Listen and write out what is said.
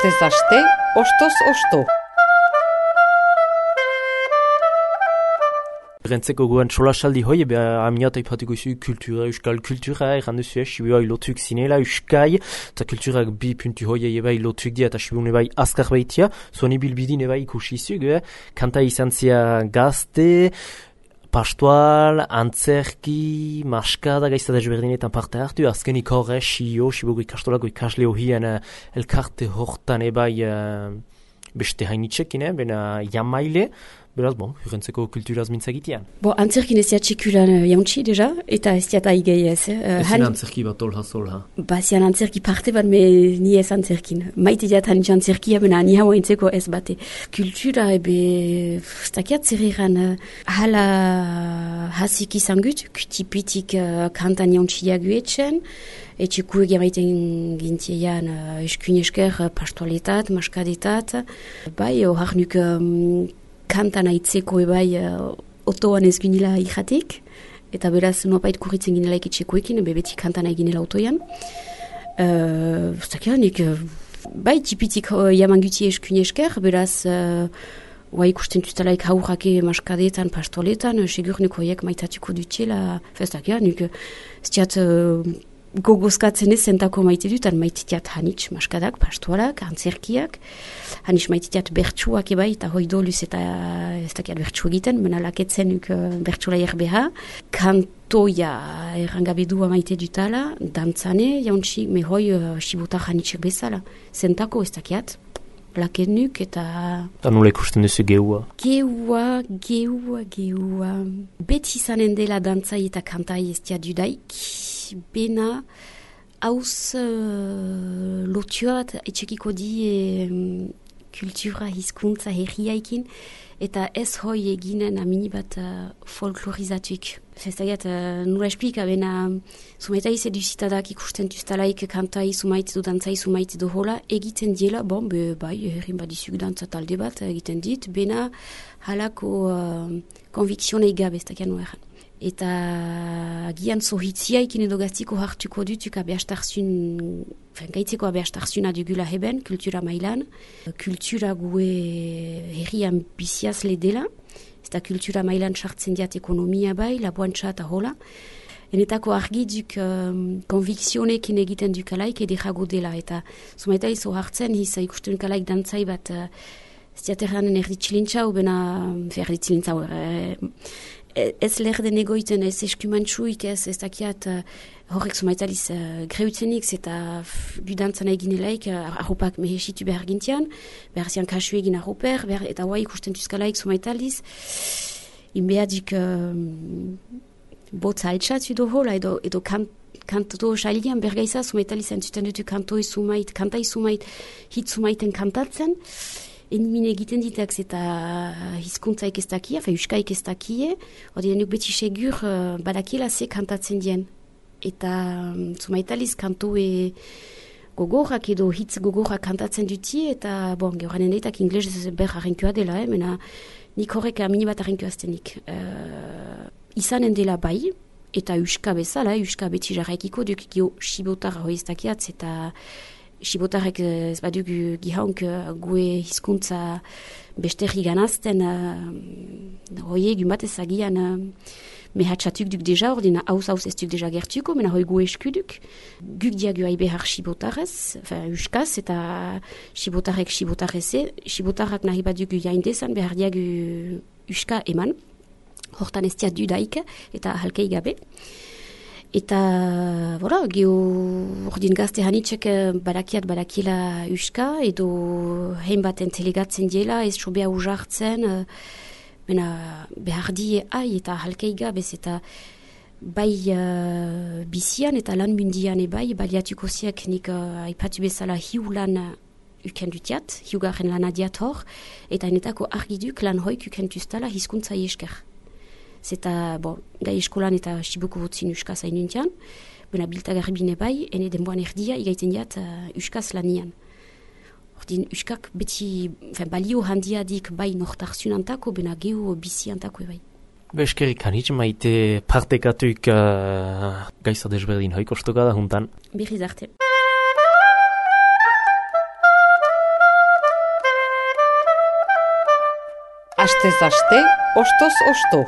Astez aste, ostoz osto. Rentzeko goen solasaldi hoi, amiat aipatiko izu kultura, euskal kultura, erran duzu Sibiua ilotuik zinela, euskai, eta kulturak bi puntu hoi eba ilotuik dia, eta Sibiun eba azkar baitia, zuan ibilbidin eba ikusi izug, kanta izan zia gazte, pastual, antzerki, maskada, gaizta desberdinetan parte hartu, azkenik horre, Sibiuko ikastolako ikasle hohian elkarte hortan eba beste hainitzekin, bena jamaile, beraz, rentzeko kulturaz mintzagitean. Antzerkin ez txikulan jauntzi, deja, eta ez diat aigei ez. Ezin antzerki bat olha. Zian antzerki parte bat, ni ez antzerkin. Maite diat hanitz antzerkia, bena ni hau entzeko ez bate. Kultura, ez dakiat zer egan, hala hasik izan gut, kutipitik kantan jauntziak guetzen, etxeku egamaiten gintiean eskuin esker pastualetat, maskadetat, horak nuk kantan aitzeko ebai otoan ez ginela ikatik, eta beraz nuapait kurritzen ginela ikitxekoekin, beti kantan eginela otoian. Zakeanik, tipitik jaman guti eskuin esker, beraz ikusten dutalaik haurrake maskadetan, pastoletan, segurnik hoiek maitatuko dutela, zakeanik, ziat gogozkatzen ez zentako maite dutan, maititiat hanitz maskadak, pastualak, antzerkiak, hanitz maititiat bertsuak ebai, eta hoi doluz eta ez dakiat bertsu egiten, mena laketzen bertsula erbeha, kantoia errangabedua maite dutala, dantzane, jauntzi, mehoi sibotak hanitzek bezala, zentako ez dakiat, lakenuk eta... Eta nola ikusten duzu geua? Geua. Beti izanen dela dantzai eta kantai ez dia dudaik, bena hauz lotua bat etxekiko di kultura, hizkuntza, herriaikin, eta ez hoi eginen amini bat folklorizatuik. Zestagiat, nula esplika, bena sumaitai seduzitadak ikusten duztalaik kantai sumait du dantzai sumait du hola, egiten diela, herrin badizuk dantza talde bat egiten dit, bena halako konvikzionei gabe, ez dakian nueran. Eta gian zohitziaikin edo gaztiko hartuko dutuk gaitzeko abeastarzuna dugula heben, kultura mailan. Kultura gue herrian biziaz ledela, eta kultura mailan sartzen diat ekonomia bai, laboantza eta hola. Enetako argi duk konvikzionekin egiten dukalaik ederago dela, eta zumaita izo hartzen, ikusten dukalaik dantzai bat, ziaterranen erditxilintza, ubena erditxilintza ez lerden egoiten, ez eskumantxuik, ez dakiat horrek zumaitaliz greutzenik, eta gudantzana eginelaik, arropak mehesitu behar gintian, behar zian kasu egin arroper, eta hoa ikusten tuzkalaik zumaitaliz, inbeadik botza altxatu hola, edo kanto xalian bergaiza, zumaitaliz entzuten dutu kantai sumait, hit sumaiten kantatzen, Enmine egiten ditak eta hizkuntzaik ez dakia, euskaik ez dakie, hori denuk beti segur badakiela ze kantatzen dien. Eta zumaitaliz kantoe gogorrak edo hitz gogorrak kantatzen duti, eta gehoranen daitak inglez ber harrenkua dela, mena nik horrek amini bat harrenkua aztenik. Izanen dela bai, eta euska bezala, euska beti jarraikiko duk gio sibotar hoi ez dakiatz, eta sibotarek ez badugu gihaunk gue hizkuntza besterri ganazten hoi egun bat ezagian mehatxatuk duk deja, ordina hauz ez duk deja gertuko, mena hoi gue eskuduk. Guk diagu haibehar sibotarez, euskaz, eta sibotarek sibotareze, sibotarrak nahi badugu jaindezan, behar diagu euska eman, hortan ez diat dudaik, eta halkei gabe. Eta, ordin gazte hanitzek badakiela euska, edo hein baten telegatzen diela, ez sobea ujartzen, behar die eta halkei gabez, eta bai bizian eta lan mundian ebai, baliatuko ziak nik aipatu bezala hiu lan ukendutiat, hiugarren lan adiat hor, eta enetako argiduk lan hoik ukentuztala hizkuntza esker. Zeta, gai eskolan eta sibuko botzin euskaz hainuntian, bena biltagarri bine bai, ene denboan erdia, igaiten diat euskaz lanian. Ordin, euskak beti, balio handiadik bai nortarzun antako, bena geho bizi antako bai. Eskerik hanitz, maite partekatuik gaizta desberdin hoik ostoka da juntan. Berriz arte. Astez aste, ostoz osto.